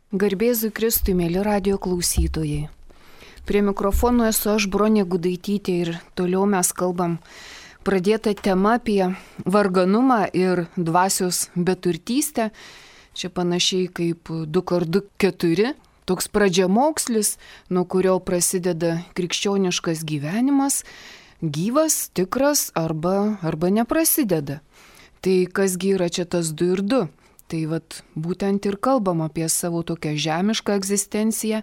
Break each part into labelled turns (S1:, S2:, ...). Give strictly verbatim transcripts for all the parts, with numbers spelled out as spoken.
S1: Garbėzui Kristui, mėly radijo klausytojai. Prie mikrofono esu aš, Bronė Gudaitytė, ir toliau mes kalbam pradėtą temą apie varganumą ir dvasios beturtystę. Čia panašiai kaip du kart du keturi, toks pradžiamokslis, nuo kurio prasideda krikščioniškas gyvenimas, gyvas, tikras arba, arba neprasideda. Tai kasgi yra čia tas du ir du? Tai vat būtent ir kalbam apie savo tokią žemišką egzistenciją,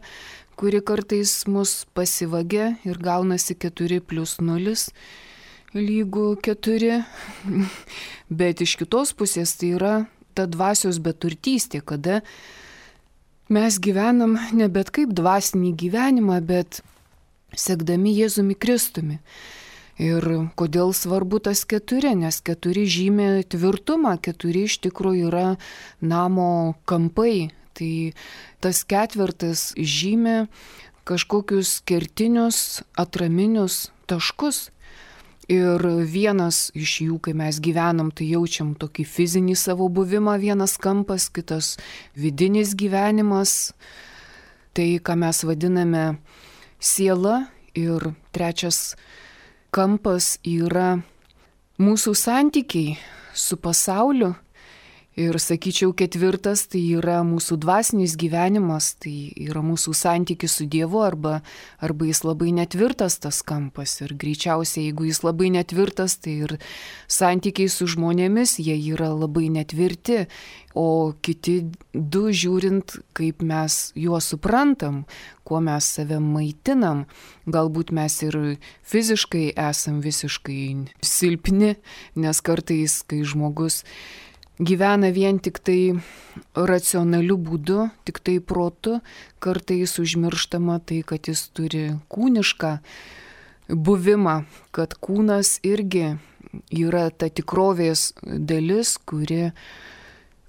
S1: kuri kartais mus pasivagia ir gaunasi keturi plius nulis lygų keturi. Bet iš kitos pusės tai yra ta dvasios beturtystė, kada mes gyvenam ne bet kaip dvasinį gyvenimą, bet sekdami Jėzumi Kristumi. Ir kodėl svarbu tas keturi, nes keturi žymė tvirtumą, keturi iš tikrųjų yra namo kampai. Tai tas ketvirtas žymė kažkokius kertinius, atraminius taškus. Ir vienas iš jų, kai mes gyvenam, tai jaučiam tokį fizinį savo buvimą, vienas kampas, kitas vidinis gyvenimas, tai ką mes vadiname siela, ir trečias kampas yra mūsų santykiai su pasauliu, ir sakyčiau ketvirtas tai yra mūsų dvasinis gyvenimas, tai yra mūsų santykis su Dievu, arba, arba jis labai netvirtas tas kampas, ir greičiausiai jeigu jis labai netvirtas, tai ir santykiai su žmonėmis jie yra labai netvirti, o kiti du žiūrint, kaip mes juos suprantam, kuo mes save maitinam, galbūt mes ir fiziškai esam visiškai silpni, nes kartais, kai žmogus gyvena vien tik tai racionaliu būdu, tik tai protu, kartais užmirštama tai, kad jis turi kūnišką buvimą, kad kūnas irgi yra ta tikrovės dalis, kuri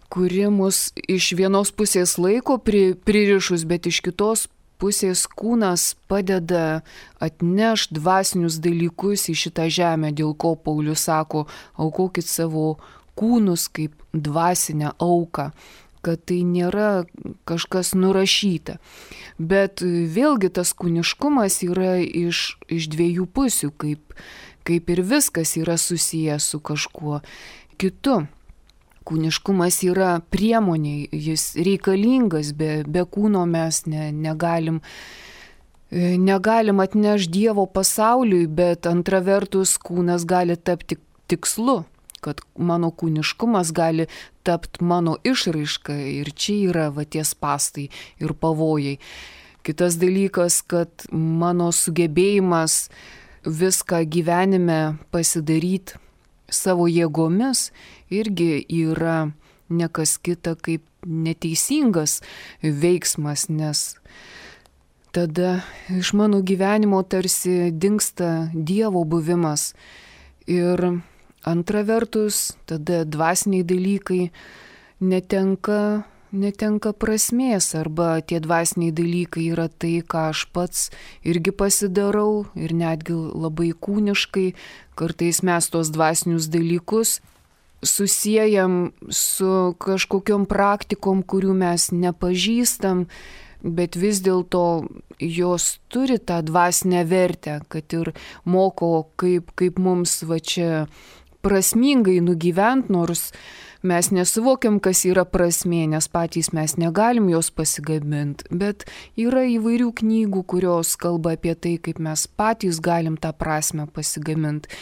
S1: kuri mus iš vienos pusės laiko pri, pririšus, bet iš kitos pusės kūnas padeda atnešt dvasinius dalykus į šitą žemę, dėl ko Paulius sako, aukokit savo kūnus kaip dvasinę auką, kad tai nėra kažkas nurašyta. Bet vėlgi tas kūniškumas yra iš, iš dviejų pusių, kaip, kaip ir viskas yra susijęs su kažkuo kitu. Kūniškumas yra priemonė, jis reikalingas, be, be kūno mes ne, negalim, negalim atnešti Dievo pasauliui, bet antra vertus kūnas gali tapti tikslu, kad mano kūniškumas gali tapti mano išraiška, ir čia yra va tie spąstai ir pavojai. Kitas dalykas, kad mano sugebėjimas viską gyvenime pasidaryti savo jėgomis irgi yra ne kas kita kaip neteisingas veiksmas, nes tada iš mano gyvenimo tarsi dingsta Dievo buvimas. Ir antra vertus, tada dvasiniai dalykai netenka, netenka prasmės, arba tie dvasiniai dalykai yra tai, ką aš pats irgi pasidarau, ir netgi labai kūniškai. Kartais mes tos dvasinius dalykus susiejam su kažkokiom praktikom, kurių mes nepažįstam, bet vis dėlto jos turi tą dvasinę vertę, kad ir moko, kaip, kaip mums va čia prasmingai nugyvent, nors mes nesuvokiam, kas yra prasmė, nes patys mes negalim jos pasigaminti, bet yra įvairių knygų, kurios kalba apie tai, kaip mes patys galim tą prasmę pasigaminti.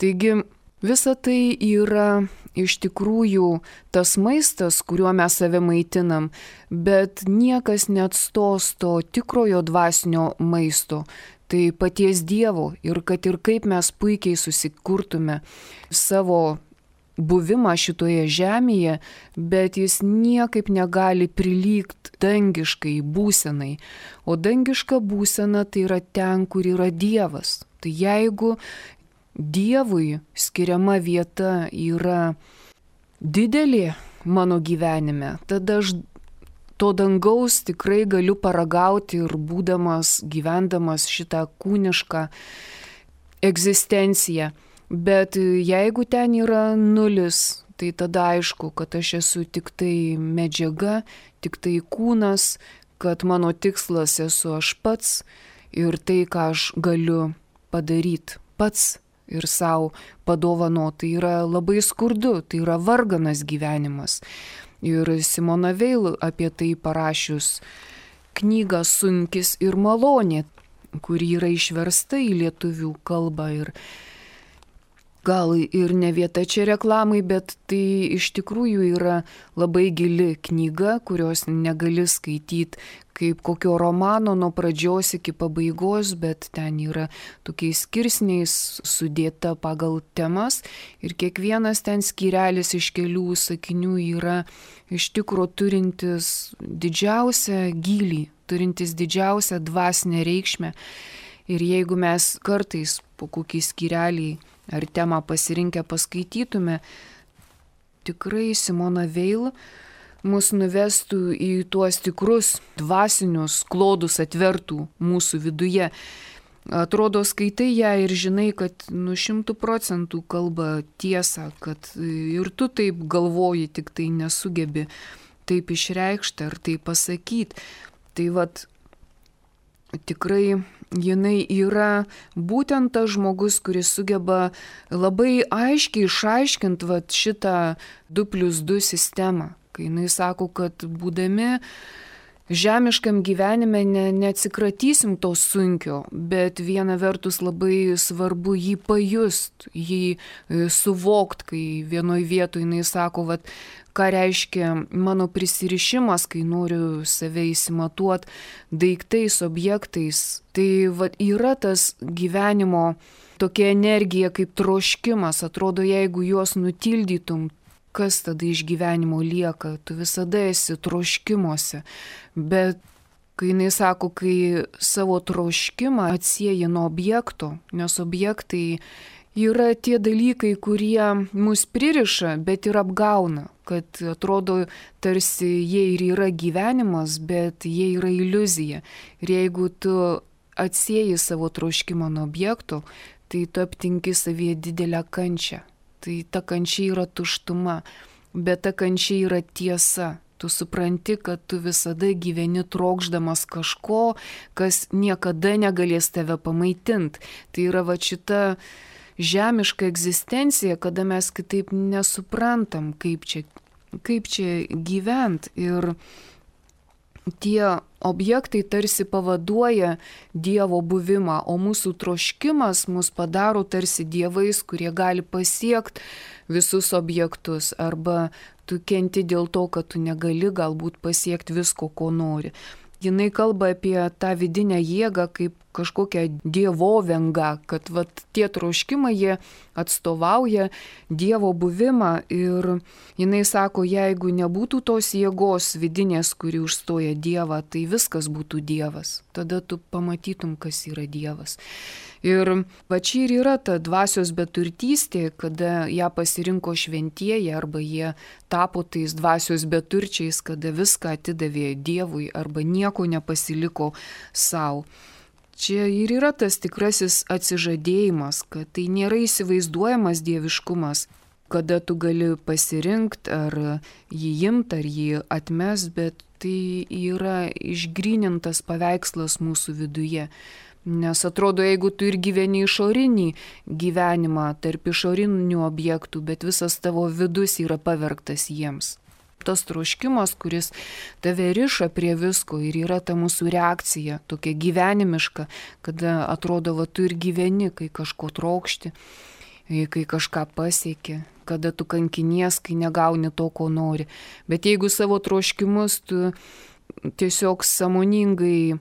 S1: Taigi visa tai yra iš tikrųjų tas maistas, kuriuo mes save maitinam, bet niekas neatstos to tikrojo dvasinio maisto. Tai paties Dievo, ir kad ir kaip mes puikiai susikurtume savo buvimą šitoje žemėje, bet jis niekaip negali prilygti dangiškai būsenai. O dangiška būsena tai yra ten, kur yra Dievas. Tai jeigu Dievui skiriama vieta yra didelė mano gyvenime, tada aš to dangaus tikrai galiu paragauti ir būdamas, gyvendamas šitą kūnišką egzistenciją. Bet jeigu ten yra nulis, tai tada aišku, kad aš esu tik tai medžiaga, tik tai kūnas, kad mano tikslas esu aš pats ir tai, ką aš galiu padaryti pats ir savo padovanoti, tai yra labai skurdu, tai yra varganas gyvenimas. Ir Simona Veil apie tai parašius knygą Sunkis ir malonė, kuri yra išversta į lietuvių kalbą ir gal ir ne vieta čia reklamai, bet tai iš tikrųjų yra labai gili knyga, kurios negali skaityti kaip kokio romano nuo pradžios iki pabaigos, bet ten yra tokiais skirsniais sudėta pagal temas ir kiekvienas ten skyrelis iš kelių sakinių yra iš tikro turintis didžiausią gylį, turintis didžiausią dvasinę reikšmę. Ir jeigu mes kartais po kokį skyrelį ar temą pasirinkę paskaitytume, tikrai Simona Veil mus nuvestų į tuos tikrus dvasinius klodus, atvertų mūsų viduje. Atrodo, skaitai ją ir žinai, kad nu šimtų procentų kalba tiesą, kad ir tu taip galvoji, tik tai nesugebi taip išreikšti ar tai pasakyti. Tai vat tikrai jinai yra būtent tas žmogus, kuris sugeba labai aiškiai išaiškinti vat šitą du plius du sistemą. Kai jinai sako, kad būdami žemiškam gyvenime ne, neatsikratysim to sunkio, bet viena vertus labai svarbu jį pajust, jį suvokt, kai vienoj vietoj jinai sako, vat, ką reiškia mano prisirišimas, kai noriu save įsimatuot daiktais, objektais. Tai vat, yra tas gyvenimo tokia energija kaip troškimas, atrodo, jeigu juos nutildytum, kas tada iš gyvenimo lieka, tu visada esi troškimuose, bet kai jinai sako, kai savo troškimą atsieji nuo objekto, nes objektai yra tie dalykai, kurie mus pririša, bet ir apgauna, kad atrodo tarsi jie ir yra gyvenimas, bet jie yra iliuzija. Ir jeigu tu atsieji savo troškimą nuo objekto, tai tu aptinki savyje didelę kančią. Tai ta kančia yra tuštuma, bet ta kančia yra tiesa. Tu supranti, kad tu visada gyveni trokšdamas kažko, kas niekada negalės tave pamaitinti. Tai yra va šita žemiška egzistencija, kada mes kitaip nesuprantam, kaip čia, kaip čia gyvent. Ir tie objektai tarsi pavaduoja Dievo buvimą, o mūsų troškimas mus padaro tarsi dievais, kurie gali pasiekti visus objektus, arba tu kenti dėl to, kad tu negali galbūt pasiekti visko, ko nori. Jinai kalba apie tą vidinę jėgą kaip kažkokią dievovengą, kad vat, tie troškimai jie atstovauja Dievo buvimą ir jinai sako, jeigu nebūtų tos jėgos vidinės, kuri užstoja Dievą, tai viskas būtų Dievas. Tada tu pamatytum, kas yra Dievas. Ir va čia ir yra ta dvasios beturtystė, kada ją pasirinko šventieji arba jie tapo tais dvasios beturčiais, kada viską atidavė Dievui arba nieko nepasiliko savo. Čia ir yra tas tikrasis atsižadėjimas, kad tai nėra įsivaizduojamas dieviškumas, kada tu gali pasirinkti ar jį imti, ar jį atmest, bet tai yra išgrynintas paveikslas mūsų viduje. Nes atrodo, jeigu tu ir gyveni išorinį gyvenimą tarp išorinių objektų, bet visas tavo vidus yra pavergtas jiems. Tas troškimas, kuris tave riša prie visko ir yra ta mūsų reakcija, tokia gyvenimiška, kada atrodo, va, tu ir gyveni, kai kažko trokšti, kai kažką pasieki, kada tu kankinies, kai negauni to, ko nori. Bet jeigu savo troškimus tu tiesiog sąmoningai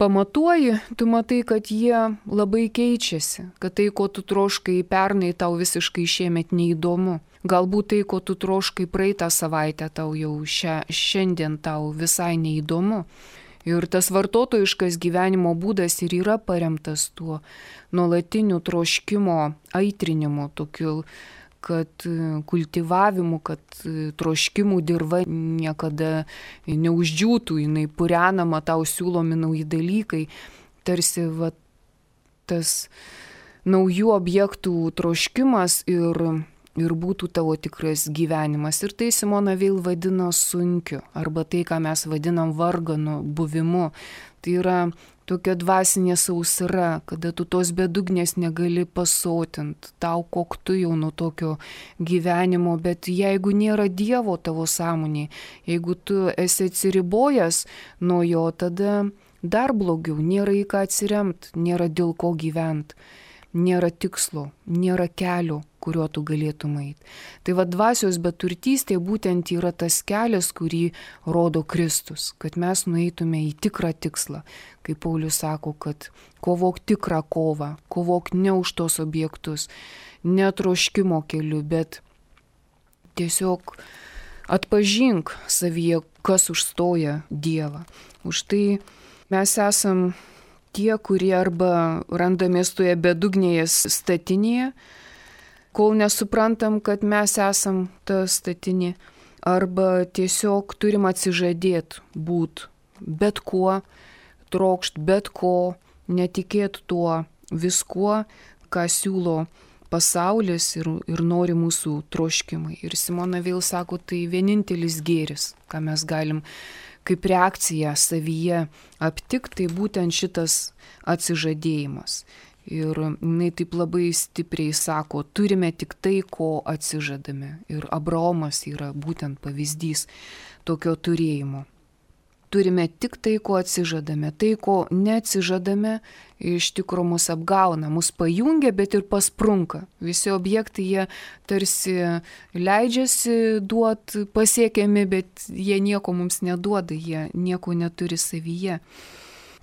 S1: pamatuoji, tu matai, kad jie labai keičiasi, kad tai, ko tu troškai pernai, tau visiškai šiemet neįdomu. Galbūt tai, ko tu troškai praeitą savaitę, tau jau šia, šiandien tau visai neįdomu. Ir tas vartotojiškas gyvenimo būdas ir yra paremtas tuo nuolatiniu troškimo aitrinimu, tokiu, kad kultivavimu, kad troškimų dirva niekada neuždžiūtų, jinai purenama, tau siūlomi nauji dalykai, tarsi va, tas naujų objektų troškimas ir ir būtų tavo tikras gyvenimas. Ir tai Simona Veil vadino sunkiu, arba tai, ką mes vadinam varganu buvimu. Tai yra tokia dvasinė sausra, kada tu tos bedugnės negali pasotint, tau koktu jau nuo tokio gyvenimo, bet jeigu nėra Dievo tavo sąmonėje, jeigu tu esi atsiribojęs nuo jo, tada dar blogiau, nėra į ką atsiremt, nėra dėl ko gyvent. Nėra tikslo, nėra kelio, kuriuo tu galėtum eiti. Tai va dvasios beturtystė būtent yra tas kelias, kurį rodo Kristus, kad mes nueitume į tikrą tikslą. Kaip Paulius sako, kad kovok tikrą kovą, kovok ne už tos objektus, ne troškimo keliu, bet tiesiog atpažink savyje, kas užstoja Dievą. Už tai mes esam tie, kurie arba randamės toje bedugnėje statinėje, kol nesuprantam, kad mes esam ta statinė, arba tiesiog turim atsižadėti būt bet kuo, trokšt bet ko, netikėt tuo viskuo, ką siūlo pasaulis ir, ir nori mūsų troškimai. Ir Simona Veil sako, tai vienintelis gėris, ką mes galim kaip reakcija savyje aptikti, tai būtent šitas atsižadėjimas. Ir jinai taip labai stipriai sako, turime tik tai, ko atsižadame. Ir Abraomas yra būtent pavyzdys tokio turėjimo. Turime tik tai, ko atsižadame. Tai, ko neatsižadame, iš tikro mus apgauna, mus pajungia, bet ir pasprunka. Visi objektai, jie tarsi leidžiasi duot pasiekiami, bet jie nieko mums neduoda, jie nieko neturi savyje.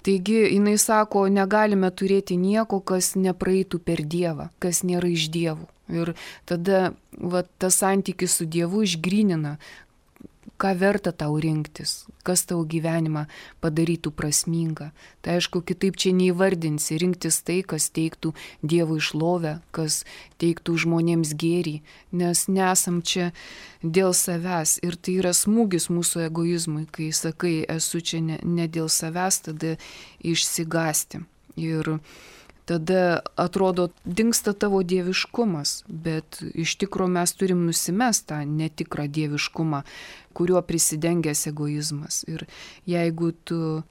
S1: Taigi, jinai sako, negalime turėti nieko, kas nepraeitų per Dievą, kas nėra iš Dievų. Ir tada va, tas santykis su Dievu išgrynina, ką verta tau rinktis, kas tau gyvenimą padarytų prasmingą. Tai aišku, kitaip čia neįvardinsi, rinktis tai, kas teiktų Dievui šlovę, kas teiktų žmonėms gėrį, nes nesam čia dėl savęs. Ir tai yra smūgis mūsų egoizmui, kai sakai, esu čia ne, ne dėl savęs, tada išsigąsti. Ir tada atrodo, dingsta tavo dieviškumas, bet iš tikro mes turim nusimest tą netikrą dieviškumą, kuriuo prisidengęs egoizmas. Ir jeigu tu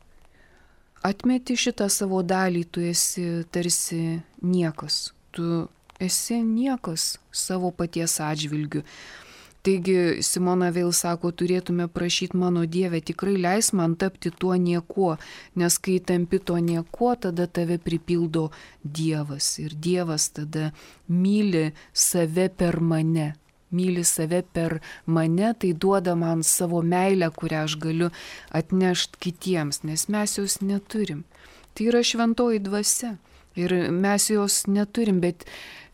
S1: atmeti šitą savo dalį, tu esi tarsi niekas, tu esi niekas savo paties atžvilgiu. Taigi Simona Veil sako, turėtume prašyti mano Dieve, tikrai leis man tapti tuo niekuo, nes kai tampi tuo niekuo, tada tave pripildo Dievas. Ir Dievas tada myli save per mane. Myli save per mane, tai duoda man savo meilę, kurią aš galiu atnešti kitiems, nes mes jos neturim. Tai yra šventoji dvasia. Ir mes jos neturim, bet,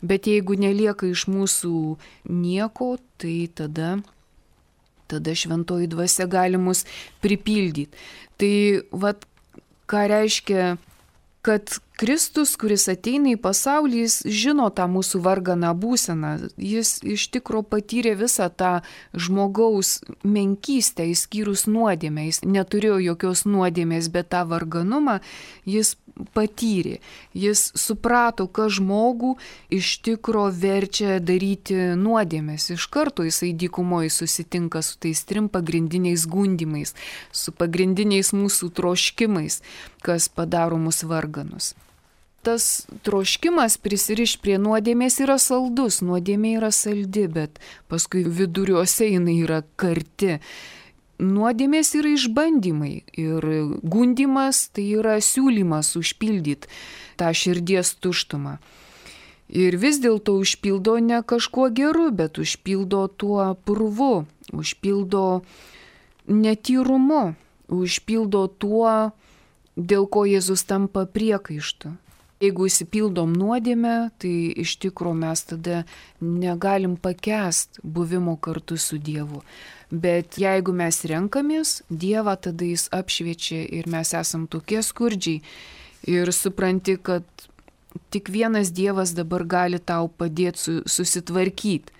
S1: bet jeigu nelieka iš mūsų nieko, tai tada, tada šventoji dvasia gali mus pripildyti. Tai vat, ką reiškia, kad Kristus, kuris ateina į pasaulį, jis žino tą mūsų varganą būseną. Jis iš tikro patyrė visą tą žmogaus menkystę, išskyrus nuodėmę. Jis neturėjo jokios nuodėmės, bet tą varganumą jis patyrė. Jis suprato, kad žmogų iš tikro verčia daryti nuodėmės. Iš karto jisai dykumoje susitinka su tais trim pagrindiniais gundimais, su pagrindiniais mūsų troškimais, kas padaro mus varganus. Tas troškimas prisiriš prie nuodėmės yra saldus, nuodėmė yra saldi, bet paskui viduriuose jinai yra karti. Nuodėmės yra išbandymai ir gundimas tai yra siūlymas užpildyti tą širdies tuštumą. Ir vis dėlto užpildo ne kažkuo geru, bet užpildo tuo purvu, užpildo netyrumu, užpildo tuo, dėl ko Jėzus tampa priekaištu. Jeigu įsipildom nuodėmę, tai iš tikro mes tada negalim pakęst buvimo kartu su Dievu. Bet jeigu mes renkamės Dievą, tada jis apšviečia ir mes esam tokie skurdžiai ir supranti, kad tik vienas Dievas dabar gali tau padėti susitvarkyti.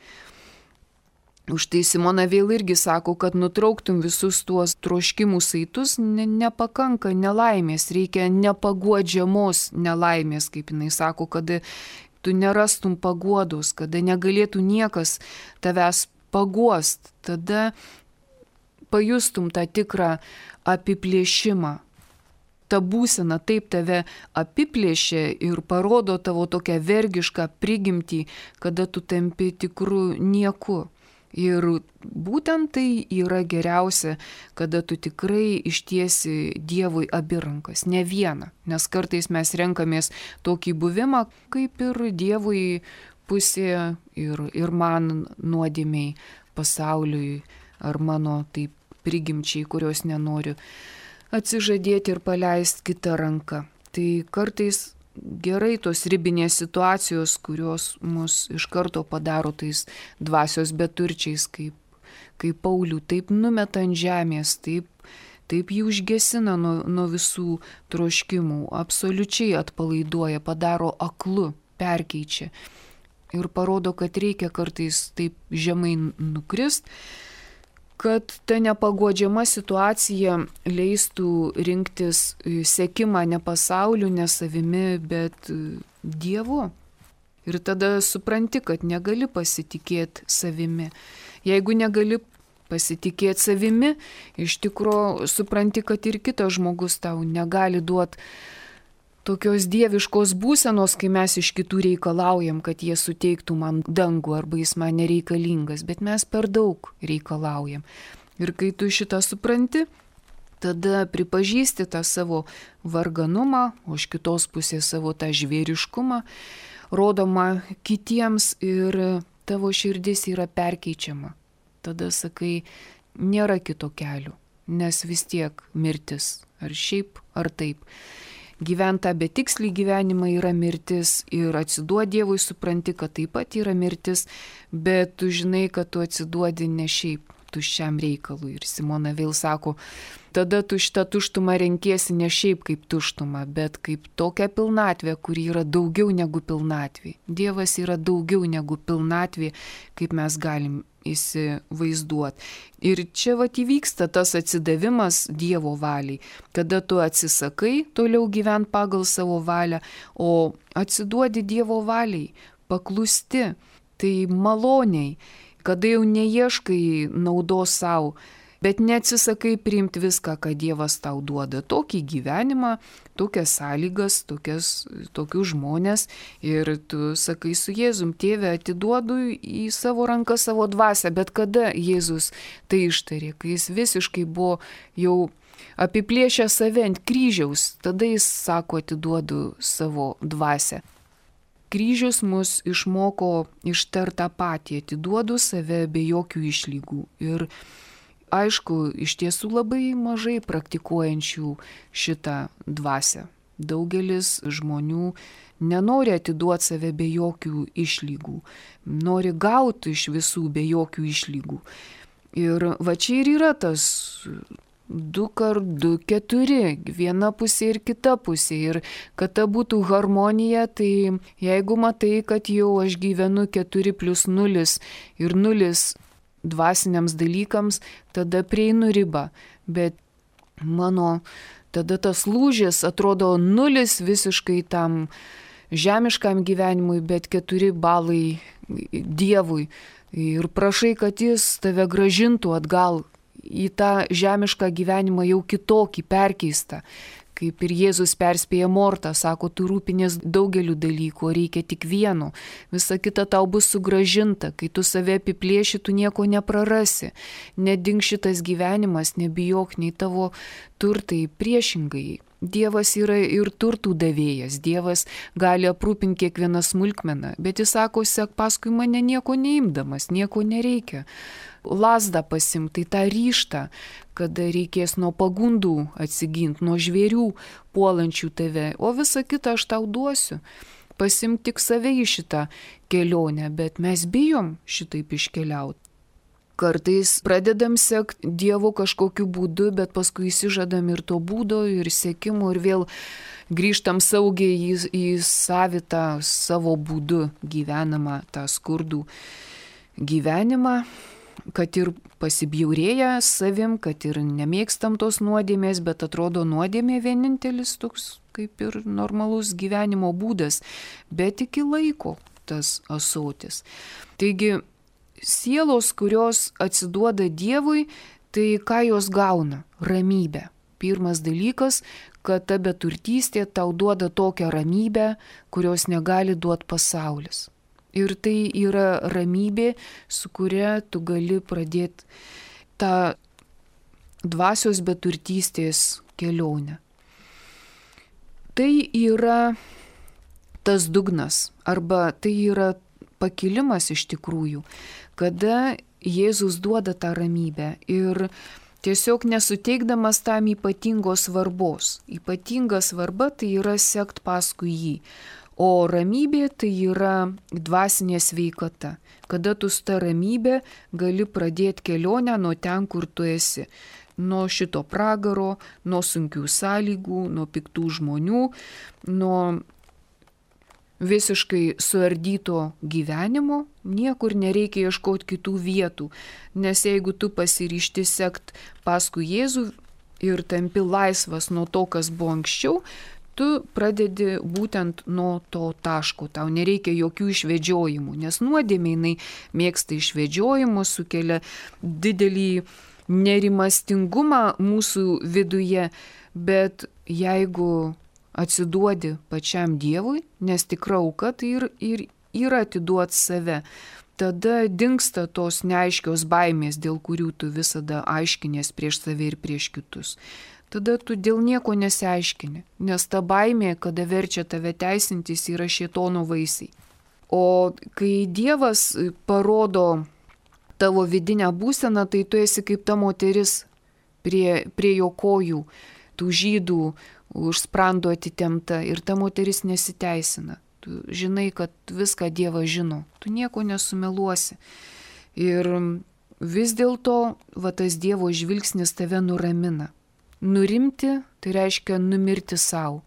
S1: Už tai Simona Veil irgi sako, kad nutrauktum visus tuos troškimų saitus, ne, nepakanka nelaimės, reikia nepaguodžiamos nelaimės, kaip jinai sako, kad tu nerastum paguodos, kada negalėtų niekas tavęs paguost, tada pajustum tą tikrą apiplėšimą. Ta būsena taip tave apiplėšia ir parodo tavo tokią vergišką prigimtį, kada tu tampi tikru nieku. Ir būtent tai yra geriausia, kada tu tikrai ištiesi Dievui abi rankas, ne vieną. Nes kartais mes renkamės tokį buvimą, kaip ir Dievui pusė ir, ir man nuodėmiai, pasauliui ar mano taip prigimčiai, kurios nenoriu atsižadėti ir paleisti kitą ranką. Tai kartais gerai tos ribinės situacijos, kurios mus iš karto padaro tais dvasios beturčiais, kaip, kaip Paulių, taip numeta ant žemės, taip, taip jį užgesina nuo, nuo visų troškimų, absoliučiai atpalaiduoja, padaro aklu, perkeičia ir parodo, kad reikia kartais taip žemai nukrist, kad ta nepaguodžiama situacija leistų rinktis sekimą ne pasauliu, ne savimi, bet Dievu. Ir tada supranti, kad negali pasitikėti savimi. Jeigu negali pasitikėti savimi, iš tikro supranti, kad ir kitas žmogus tau negali duoti tokios dieviškos būsenos, kai mes iš kitų reikalaujam, kad jie suteiktų man dangų arba jis man nereikalingas, bet mes per daug reikalaujam. Ir kai tu šitą supranti, tada pripažįsti tą savo varganumą, o iš kitos pusės savo tą žvėriškumą, rodoma kitiems ir tavo širdis yra perkeičiama. Tada sakai, nėra kito kelio, nes vis tiek mirtis, ar šiaip, ar taip. Gyventa betikslį gyvenimą yra mirtis ir atsiduodi Dievui, supranti, kad taip pat yra mirtis, bet tu žinai, kad tu atsiduodi ne šiaip tuščiam reikalui. Ir Simona vėl sako, tada tu šitą tuštumą renkiesi ne šiaip kaip tuštumą, bet kaip tokią pilnatvę, kuri yra daugiau negu pilnatvė. Dievas yra daugiau negu pilnatvė, kaip mes galim įsivaizduoti. Ir čia vat įvyksta tas atsidavimas Dievo valiai, kada tu atsisakai toliau gyventi pagal savo valią, o atsiduodi Dievo valiai, paklusti, tai maloniai, kada jau neieškai naudos savo, bet neatsisakai priimti viską, ką Dievas tau duoda. Tokį gyvenimą, tokias sąlygas, tokias, tokius žmonės. Ir tu sakai su Jėzum, Tėve, atiduodu į savo ranką savo dvasią. Bet kada Jėzus tai ištarė, kai jis visiškai buvo jau apiplėšę save ant kryžiaus, tada jis sako, atiduodu savo dvasią. Kryžius mus išmoko ištart tą patį, atiduodu save be jokių išlygų. Ir aišku, iš tiesų labai mažai praktikuojančių šitą dvasią. Daugelis žmonių nenori atiduoti save be jokių išlygų, nori gauti iš visų be jokių išlygų. Ir va čia ir yra tas du kart du keturi, viena pusė ir kita pusė. Ir kad ta būtų harmonija, tai jeigu matai, kad jau aš gyvenu keturi plius nulis ir nulis dvasiniams dalykams, tada prieinu ribą. Bet mano tada tas lūžis atrodo nulis visiškai tam žemiškam gyvenimui, bet keturi balai Dievui. Ir prašai, kad jis tave gražintų atgal į tą žemišką gyvenimą jau kitokį, perkeistą. Kaip ir Jėzus perspėja Mortą, sako, tu rūpinės daugeliu dalykų, reikia tik vieno. Visa kita tau bus sugražinta, kai tu save apiplėši, tu nieko neprarasi. Nedink šitas gyvenimas, nebijok nei tavo turtai, priešingai. Dievas yra ir turtų davėjas, Dievas gali aprūpinti kiekvieną smulkmeną, bet jis sako, sek paskui mane nieko neimdamas, nieko nereikia. Lazdą pasimti, tai tą ryžtą, kada reikės nuo pagundų atsiginti, nuo žvėrių puolančių tave, o visą kitą aš tau duosiu. Pasimti tik save į šitą kelionę, bet mes bijom šitaip iškeliauti. Kartais pradedam sekti Dievo kažkokiu būdu, bet paskui įsižadam ir to būdo, ir sekimo, ir vėl grįžtam saugiai į, į savitą savo būdu gyvenamą, tą skurdų gyvenimą. kad ir pasibjaurėję savim, kad ir nemėgstam tos nuodėmės, bet atrodo nuodėmė vienintelis toks kaip ir normalus gyvenimo būdas, bet iki laiko tas ąsotis. Taigi, sielos, kurios atsiduoda Dievui, tai ką jos gauna? Ramybę. Pirmas dalykas, kad ta beturtystė tau duoda tokią ramybę, kurios negali duoti pasaulis. Ir tai yra ramybė, su kuria tu gali pradėti tą dvasios beturtystės kelionę. Tai yra tas dugnas, arba tai yra pakilimas iš tikrųjų, kada Jėzus duoda tą ramybę ir tiesiog nesuteikdamas tam ypatingos svarbos. Ypatinga svarba tai yra sekt paskui jį. O ramybė tai yra dvasinė sveikata, kada tu su ta ramybė gali pradėti kelionę nuo ten, kur tu esi. Nuo šito pragaro, nuo sunkių sąlygų, nuo piktų žmonių, nuo visiškai suardyto gyvenimo, niekur nereikia ieškoti kitų vietų, nes jeigu tu pasiryšti sekt paskui Jėzų ir tampi laisvas nuo to, kas buvo anksčiau, tu pradedi būtent nuo to taško, tau nereikia jokių išvedžiojimų, nes nuodėmė jinai mėgsta išvedžiojimus, sukelia didelį nerimastingumą mūsų viduje, bet jeigu atsiduodi pačiam Dievui, nes tikra auka tai ir, ir yra atiduot save, tada dingsta tos neaiškios baimės, dėl kurių tu visada aiškinės prieš save ir prieš kitus. Tada tu dėl nieko nesiaiškini, nes ta baimė, kada verčia tave teisintis, yra šėtono vaisiai. O kai Dievas parodo tavo vidinę būseną, tai tu esi kaip ta moteris prie, prie jo kojų, tų žydų už sprando atitempta ir ta moteris nesiteisina. Tu žinai, kad viską Dievas žino, tu nieko nesumeluosi. Ir vis dėlto va tas Dievo žvilgsnis tave nuramina. Nurimti tai reiškia numirti savo.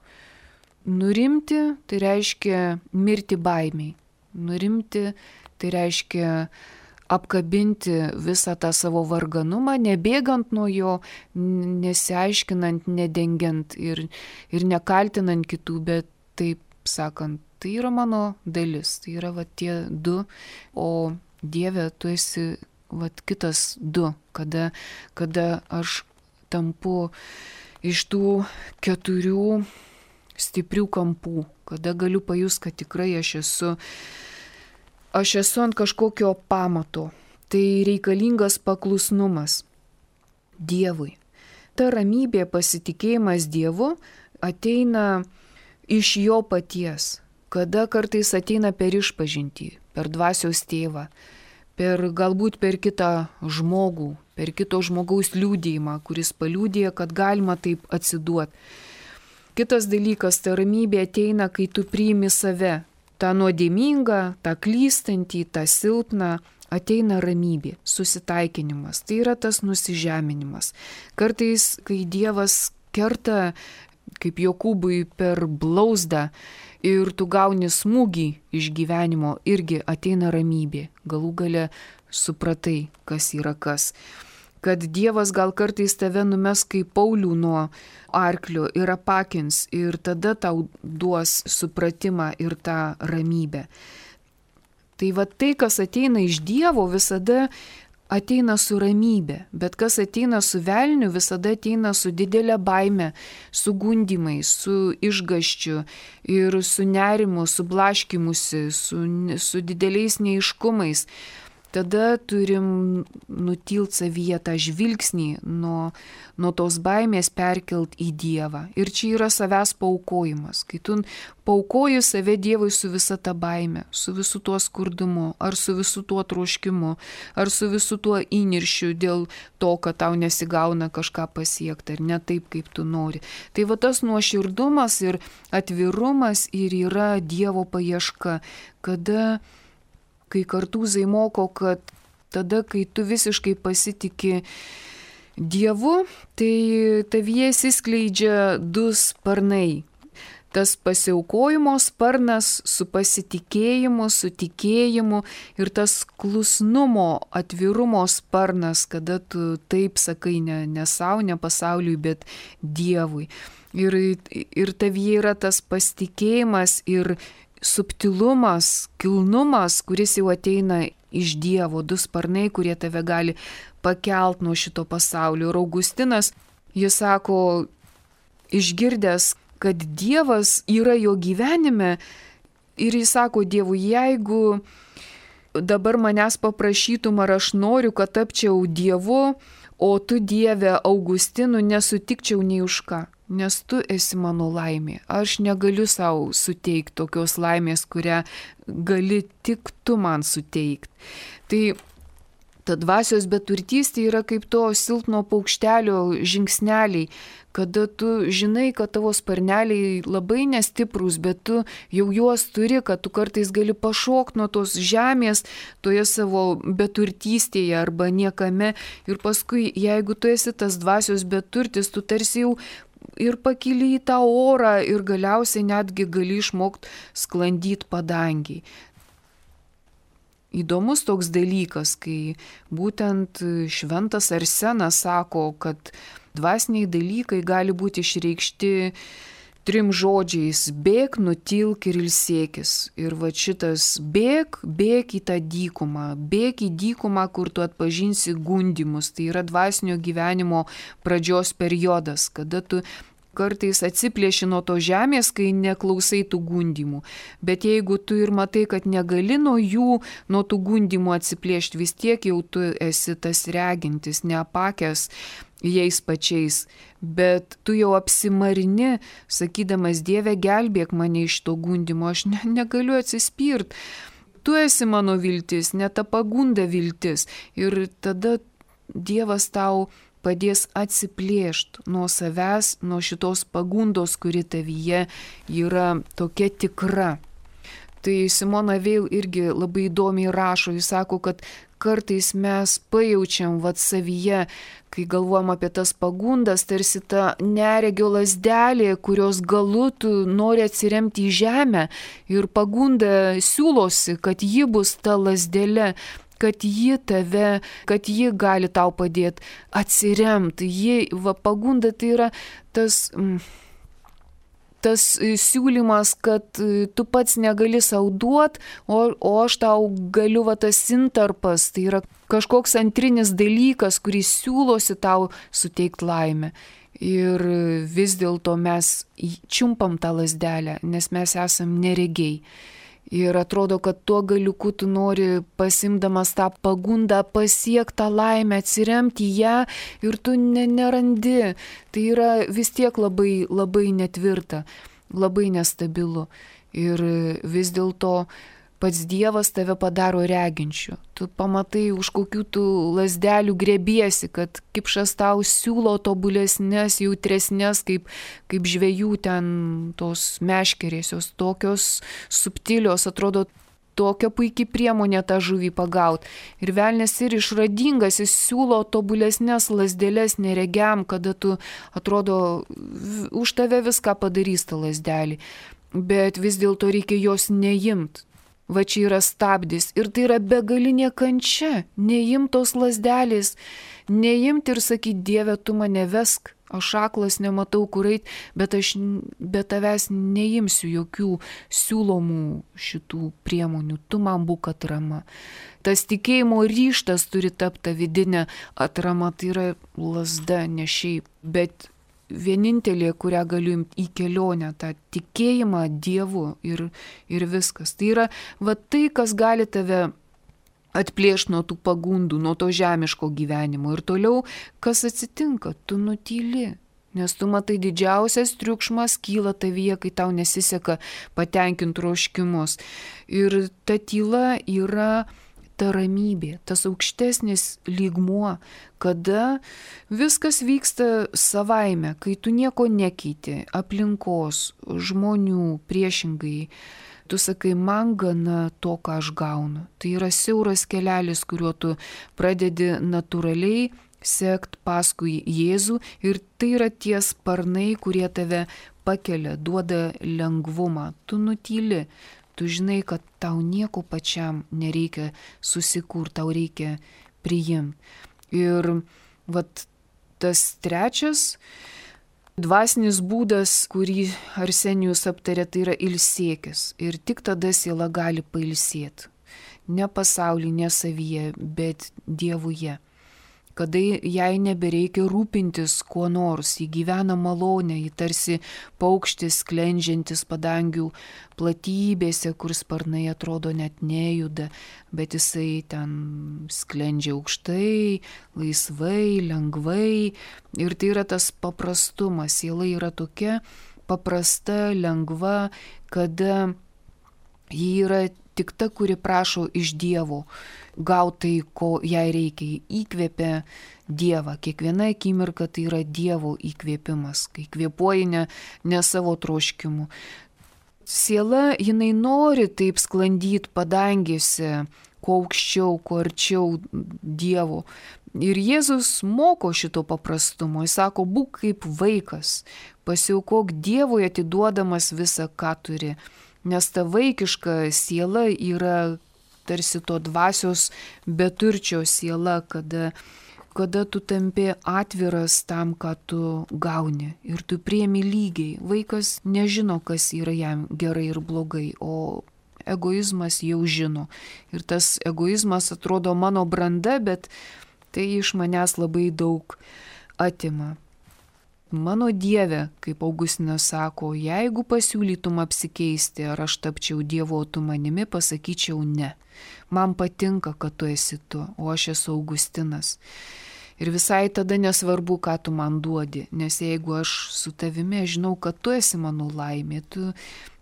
S1: Nurimti tai reiškia mirti baimiai. Nurimti tai reiškia apkabinti visą tą savo varganumą, nebėgant nuo jo, nesiaiškinant, nedengiant ir, ir nekaltinant kitų, bet taip sakant, tai yra mano dalis, tai yra va tie du, o Dieve, tu esi va kitas du, kada, kada aš tampu iš tų keturių stiprių kampų, kada galiu pajust, kad tikrai aš esu Aš esu ant kažkokio pamato, tai reikalingas paklusnumas Dievui. Ta ramybė, pasitikėjimas Dievu ateina iš jo paties, kada kartais ateina per išpažintį, per dvasios tėvą, per galbūt per kitą žmogų, per kito žmogaus liūdėjimą, kuris paliūdėja, kad galima taip atsiduoti. Kitas dalykas, ta ramybė ateina, kai tu priimi save. Ta nuodėmingą, tą klystantį, tą silpną, ateina ramybė, susitaikinimas. Tai yra tas nusižeminimas. Kartais, kai Dievas kerta, kaip Jokūbui per blauzdą, ir tu gauni smūgį iš gyvenimo, irgi ateina ramybė. Galų gale supratai, kas yra kas. Kad Dievas gal kartais tave numes kaip Paulių nuo arklio ir apakins ir tada tau duos supratimą ir tą ramybę. Tai va tai, kas ateina iš Dievo, visada ateina su ramybė, bet kas ateina su velniu, visada ateina su didelė baime, su gundymais, su išgąsčiu ir su nerimu, su blaškymusi, su, su dideliais neiškumais. Tada turim nutilt savyje tą žvilgsnį nuo, nuo tos baimės perkelt į Dievą. Ir čia yra savęs paaukojimas. Kai tu paaukoji save Dievui su visa ta baime, su visu tuo skurdumu, ar su visu tuo troškimu, ar su visu tuo įniršiu dėl to, kad tau nesigauna kažką pasiekti, ar ne taip, kaip tu nori. Tai va tas nuoširdumas ir atvirumas ir yra Dievo paieška, kada kai kartūzai moko, kad tada, kai tu visiškai pasitiki Dievu, tai tavyje įsiskleidžia du sparnai. tas pasiaukojimo sparnas su pasitikėjimu, su tikėjimu ir tas klusnumo, atvirumo sparnas, kada tu taip sakai ne, ne savo, ne pasauliui, bet Dievui. Ir, ir tavyje yra tas pasitikėjimas ir subtilumas, kilnumas, kuris jau ateina iš Dievo, du sparnai, kurie tave gali pakelt nuo šito pasaulio. Ir Augustinas, jis sako, išgirdęs, kad Dievas yra jo gyvenime, ir jis sako Dievui, jeigu dabar manęs paprašytum, ar aš noriu, kad tapčiau Dievu, o tu, Dieve, Augustinu, nesutikčiau nei už ką, nes tu esi mano laimė. Aš negaliu savo suteikti tokios laimės, kurią gali tik tu man suteikti. Tai ta dvasios beturtystė yra kaip to silpno paukštelio žingsneliai, kada tu žinai, kad tavo sparneliai labai nestiprus, bet tu jau juos turi, kad tu kartais gali pašokti nuo tos žemės toje savo beturtystėje arba niekame. Ir paskui, jeigu tu esi tas dvasios beturtis, tu tarsi jau ir pakyli į tą orą ir galiausiai netgi gali išmokti sklandyti padangiai. Įdomus toks dalykas, kai būtent šventas Arsenas sako, kad dvasiniai dalykai gali būti išreikšti trim žodžiais: bėk, nutilk ir ilsėkis. Ir va šitas bėk, bėk į tą dykumą, bėk į dykumą, kur tu atpažinsi gundymus. Tai yra dvasinio gyvenimo pradžios periodas, kada tu kartais atsiplėši nuo to žemės, kai neklausai tų gundymų. Bet jeigu tu ir matai, kad negali nuo jų, nuo tų gundymų atsiplėšti, vis tiek jau tu esi tas regintis, neapakęs jais pačiais. Bet tu jau apsimarini, sakydamas, Dieve, gelbėk mane iš to gundymo, aš ne, negaliu atsispirt. Tu esi mano viltis, ne ta pagunda viltis. Ir tada Dievas tau padės atsiplėšti nuo savęs, nuo šitos pagundos, kuri tavyje yra tokia tikra. Tai Simona Veil irgi labai įdomiai rašo, jis sako, kad kartais mes pajaučiam vat savyje, kai galvojam apie tas pagundas, tarsi ta neregio lazdelė, kurios galu tu nori atsiremti į žemę ir pagunda siūlosi, kad ji bus ta lazdelė, kad ji tave, kad ji gali tau padėti atsiremti. Ji, va, pagunda tai yra tas, tas siūlymas, kad tu pats negali sau duoti, o, o aš tau galiu, va, tas intarpas, tai yra kažkoks antrinis dalykas, kuris siūlosi tau suteikti laimę. Ir vis dėlto mes čiumpam tą lazdelę, nes mes esam neregiai. Ir atrodo, kad tuo galiuku tu nori, pasimdamas tą pagundą, pasiekti tą laimę, atsiremti į ją ir tu ne, nerandi. Tai yra vis tiek labai, labai netvirta, labai nestabilu. Ir vis dėlto pats Dievas tave padaro reginčiu. Tu pamatai, už kokių tu lazdelių grėbiesi, kad kipšas tau siūlo tobulesnės, jautresnės, kaip, kaip žvejų ten tos meškerės, jos tokios subtilios, atrodo tokia puikiai priemonė tą žuvį pagauti. Ir velnias ir išradingas, jis siūlo tobulesnės lazdelės neregiam, kada tu, atrodo, už tave viską padarys tą lazdelį. Bet vis dėlto reikia jos neimti. Va čia yra stabdis ir tai yra begalinė kančia, neimtos lazdelės, neimti ir sakyti, Dieve, tu mane vesk, aš aklas, nematau kur eit, bet aš be tavęs neimsiu jokių siūlomų šitų priemonių, tu man būk atrama. Tas tikėjimo ryžtas turi tapti vidinė atrama, tai yra lazda, ne šiaip, bet vienintelė, kurią galiu imti į kelionę, tą tikėjimą Dievu ir, ir viskas. Tai yra va tai, kas gali tave atplėšti nuo tų pagundų, nuo to žemiško gyvenimo. Ir toliau, kas atsitinka, tu nutyli. Nes tu matai, didžiausias triukšmas kyla tavyje, kai tau nesiseka patenkinti troškimus. Ir ta tyla yra ta ramybė, tas aukštesnis lygmuo, kada viskas vyksta savaime, kai tu nieko nekeiti, aplinkos, žmonių, priešingai. Tu sakai, man gana to, ką aš gaunu. Tai yra siauras kelelis, kuriuo tu pradedi natūraliai sekt paskui Jėzų ir tai yra tie sparnai, kurie tave pakelia, duoda lengvumą. Tu nutyli, tu žinai, kad tau nieko pačiam nereikia susikurti, tau reikia priimti. Ir vat tas trečias dvasinis būdas, kurį Arsenijus aptarė, tai yra ilsėkis. Ir tik tada siela gali pailsėti. Ne pasaulyje, ne savyje, bet Dievuje. Kada jai nebereikia rūpintis kuo nors, ji gyvena malonę, ji tarsi paukštis sklendžiantis padangių platybėse, kur sparnai atrodo net nejuda, bet jisai ten sklendžia aukštai, laisvai, lengvai. Ir tai yra tas paprastumas, siela yra tokia paprasta, lengva, kada ji yra tik ta, kuri prašo iš Dievo gautai, ko jai reikia. Įkvėpia Dievą. Kiekviena akimirka tai yra Dievo įkvėpimas, kai kvėpuoji ne, ne savo troškimu. Siela, jinai nori taip sklandyti padangėse, kuo aukščiau, kuo arčiau Dievo. Ir Jėzus moko šito paprastumo. Jis sako, būk kaip vaikas, pasiaukok Dievui atiduodamas visą, ką turi. Nes ta vaikiška siela yra tarsi to dvasios beturčio siela, kada, kada tu tampi atviras tam, ką tu gauni. Ir tu priemi lygiai. Vaikas nežino, kas yra jam gerai ir blogai, o egoizmas jau žino. Ir tas egoizmas atrodo mano branda, bet tai iš manęs labai daug atima. Mano Dieve, kaip Augustinas sako, jeigu pasiūlytum apsikeisti, ar aš tapčiau Dievo, tu manimi, pasakyčiau ne. Man patinka, kad tu esi tu, o aš esu Augustinas. Ir visai tada nesvarbu, ką tu man duodi, nes jeigu aš su tavimi, aš žinau, kad tu esi mano laimė, tu,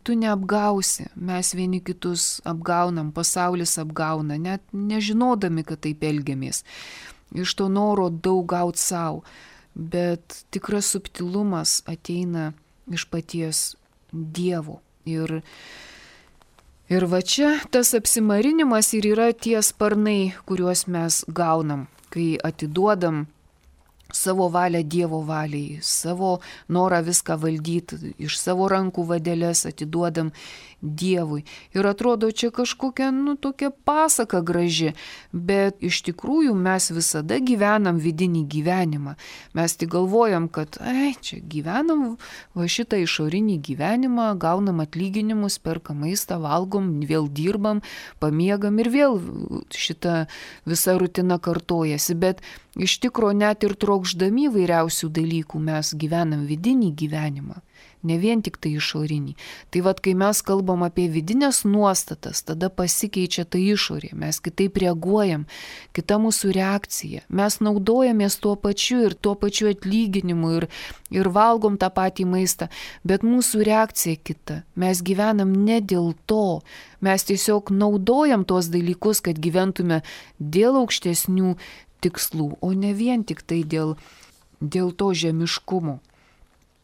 S1: tu neapgausi, mes vieni kitus apgaunam, pasaulis apgauna, net nežinodami, kad taip elgiamės. Iš to noro daug gauti savo. Bet tikras subtilumas ateina iš paties Dievo. Ir, ir va čia tas apsimarinimas ir yra tie sparnai, kuriuos mes gaunam, kai atiduodam savo valią Dievo valiai, savo norą viską valdyti, iš savo rankų vadelės atiduodam Dievui. Ir atrodo, čia kažkokia, nu, tokia pasaka graži, bet iš tikrųjų mes visada gyvenam vidinį gyvenimą. Mes tik galvojam, kad, ai, čia gyvenam va šitą išorinį gyvenimą, gaunam atlyginimus, perkam maistą, valgom, vėl dirbam, pamiegam ir vėl šita visa rutina kartojasi. Bet iš tikro net ir trokšdami vairiausių dalykų mes gyvenam vidinį gyvenimą. Ne vien tik tai išorinį. Tai vad, kai mes kalbam apie vidinės nuostatas, tada pasikeičia ta išorė, mes kitaip reaguojam, kita mūsų reakcija. Mes naudojamės tuo pačiu ir tuo pačiu atlyginimu ir, ir valgom tą patį maistą, bet mūsų reakcija kita. Mes gyvenam ne dėl to, mes tiesiog naudojam tuos dalykus, kad gyventume dėl aukštesnių tikslų, o ne vien tik tai dėl, dėl to žemiškumo.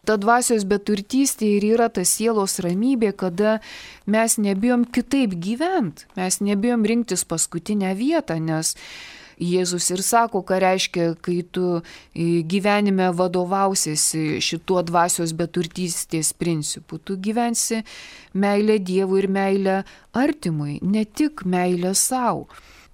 S1: Ta dvasios beturtystė ir yra ta sielos ramybė, kada mes nebijom kitaip gyventi, mes nebijom rinktis paskutinę vietą, nes Jėzus ir sako, ką reiškia, kai tu gyvenime vadovausiesi šituo dvasios beturtystės principu. Tu gyvensi meilę Dievui ir meilę artimui, ne tik meilę savo.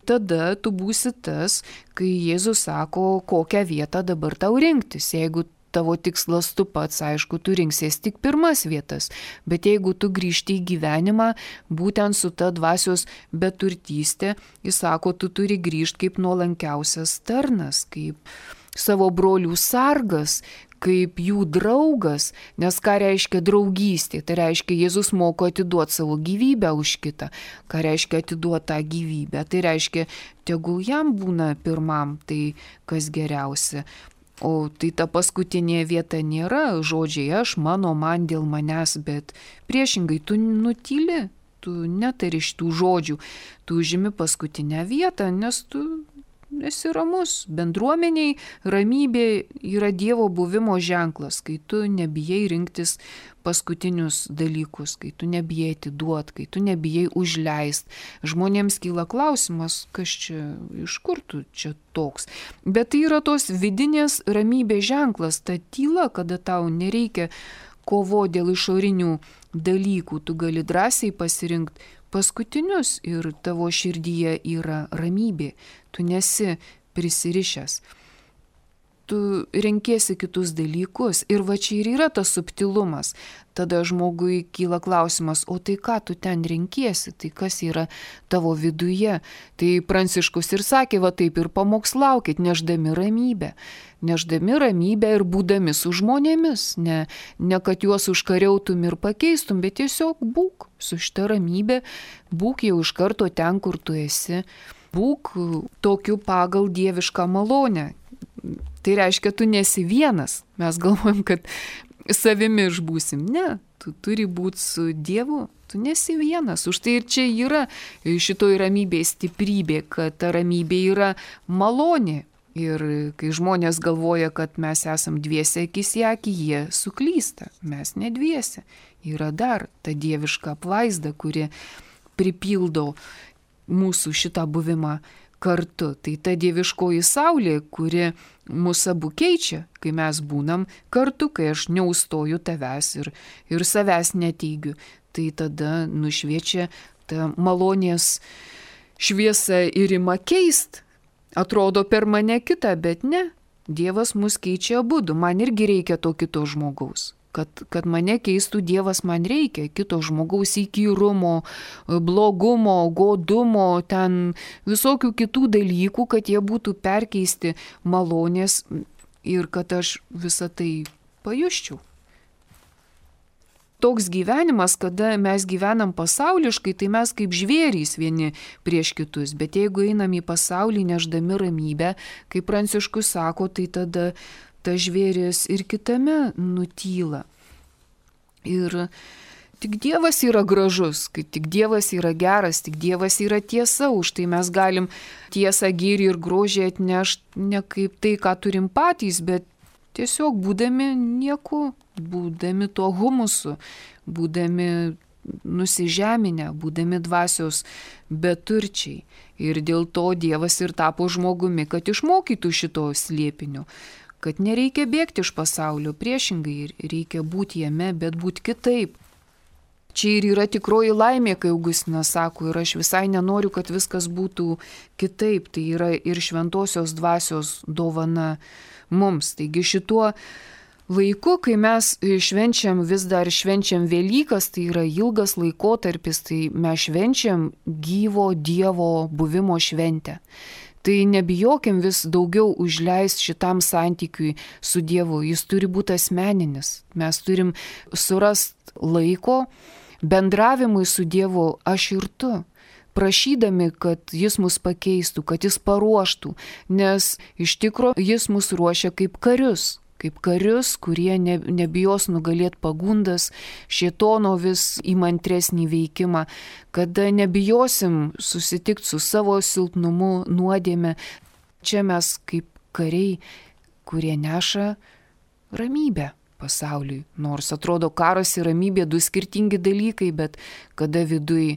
S1: Tada tu būsi tas, kai Jėzus sako, kokią vietą dabar tau rinktis. Jeigu tavo tikslas tu pats, aišku, tu rinksies tik pirmas vietas, bet jeigu tu grįžti į gyvenimą, būtent su ta dvasios beturtystė, jis sako, tu turi grįžti kaip nuolankiausias tarnas, kaip savo brolių sargas, kaip jų draugas, nes ką reiškia draugystė, tai reiškia Jėzus moko atiduoti savo gyvybę už kitą, ką reiškia atiduoti tą gyvybę, tai reiškia, tegul jam būna pirmam, tai kas geriausia. O tai ta paskutinė vieta nėra žodžiai aš, mano, man, dėl manęs, bet priešingai tu nutyli, tu netari šitų žodžių, tu užimi paskutinę vietą, nes tu esi ramus. Bendruomeniai ramybė yra Dievo buvimo ženklas, kai tu nebijai rinktis paskutinius dalykus, kai tu nebijai atiduot, kai tu nebijai užleist. Žmonėms kyla klausimas, kas čia, iš kur tu čia toks. Bet tai yra tos vidinės ramybės ženklas, ta tyla, kada tau nereikia kovo dėl išorinių dalykų, tu gali drąsiai pasirinkti paskutinius ir tavo širdyje yra ramybė, tu nesi prisirišęs. Tu renkiesi kitus dalykus ir va čia ir yra tas subtilumas. Tada žmogui kyla klausimas, o tai ką tu ten renkiesi, tai kas yra tavo viduje. Tai Pranciškus ir sakė, va taip ir pamokslaukit, nešdami ramybę. Nešdami ramybę ir būdami su žmonėmis. Ne, ne kad juos užkariautum ir pakeistum, bet tiesiog būk su šita ramybė, būk jau iš karto ten, kur tu esi. Būk tokiu pagal dievišką malonę. Tai reiškia, tu nesi vienas. Mes galvojam, kad savimi išbūsim. Ne, tu turi būti su Dievu. Tu nesi vienas. Už tai ir čia yra šitoj ramybėje stiprybė, kad ta ramybė yra malonė. Ir kai žmonės galvoja, kad mes esam dviese akis į akį, jie suklysta. Mes ne dviese. Yra dar ta dieviška apvaizda, kuri pripildo mūsų šitą buvimą kartu. Tai ta dieviškoji saulė, kuri mūsų abu keičia, kai mes būnam kartu, kai aš neustoju tavęs ir, ir savęs neteigiu. Tai tada nušviečia ta malonės šviesa ir ima keist. Atrodo per mane kitą, bet ne. Dievas mus keičia abudu. Man irgi reikia to kito žmogaus. Kad, kad mane keistų Dievas, man reikia kito žmogaus įkyrumo, blogumo, godumo, ten visokių kitų dalykų, kad jie būtų perkeisti malonės ir kad aš visą tai pajusčiau. Toks gyvenimas, kada mes gyvenam pasauliškai, tai mes kaip žvėrys vieni prieš kitus. Bet jeigu einam į pasaulį nešdami ramybę, kaip Pranciškus sako, tai tada ta žvėris ir kitame nutyla. Ir tik Dievas yra gražus, kai tik Dievas yra geras, tik Dievas yra tiesa, už tai mes galim tiesą, gėrį ir grožį atnešti ne kaip tai, ką turim patys, bet tiesiog būdami nieku, būdami tuo humusu, būdami nusižeminę, būdami dvasios beturčiai. Ir dėl to Dievas ir tapo žmogumi, kad išmokytų šito slėpinio. Kad nereikia bėgti iš pasaulio, priešingai reikia būti jame, bet būti kitaip. Čia ir yra tikroji laimė, kai Augustinas sako, ir aš visai nenoriu, kad viskas būtų kitaip. Tai yra ir šventosios dvasios dovana mums. Taigi šituo laiku, kai mes švenčiam, vis dar švenčiam Velykas, tai yra ilgas laikotarpis, tai mes švenčiam gyvo Dievo buvimo šventę. Tai nebijokim vis daugiau užleisti šitam santykiui su Dievu. Jis turi būti asmeninis. Mes turim surasti laiko bendravimui su Dievu aš ir tu, prašydami, kad Jis mus pakeistų, kad Jis paruoštų, nes iš tikro Jis mus ruošia kaip karius. Kaip karius, kurie ne, nebijos nugalėti pagundas, šėtono vis įmantresnį veikimą, kada nebijosim susitikti su savo silpnumu, nuodėme. Čia mes kaip kariai, kurie neša ramybę pasauliui. Nors atrodo karas ir ramybė du skirtingi dalykai, bet kada viduj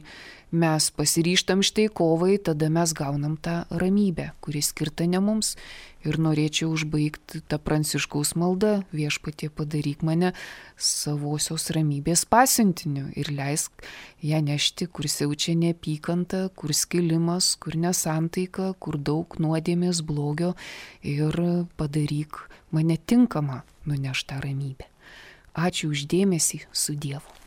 S1: mes pasiryštam štai kovai, tada mes gaunam tą ramybę, kuri skirta ne mums. Ir norėčiau užbaigti tą Pranciškaus maldą, Viešpatie padaryk mane savosios ramybės pasiuntiniu ir leisk ją nešti, kur siaučia neapykanta, kur skilimas, kur nesantaika, kur daug nuodėmės blogio ir padaryk mane tinkamą nunešti tą ramybę. Ačiū už dėmesį, su Dievu.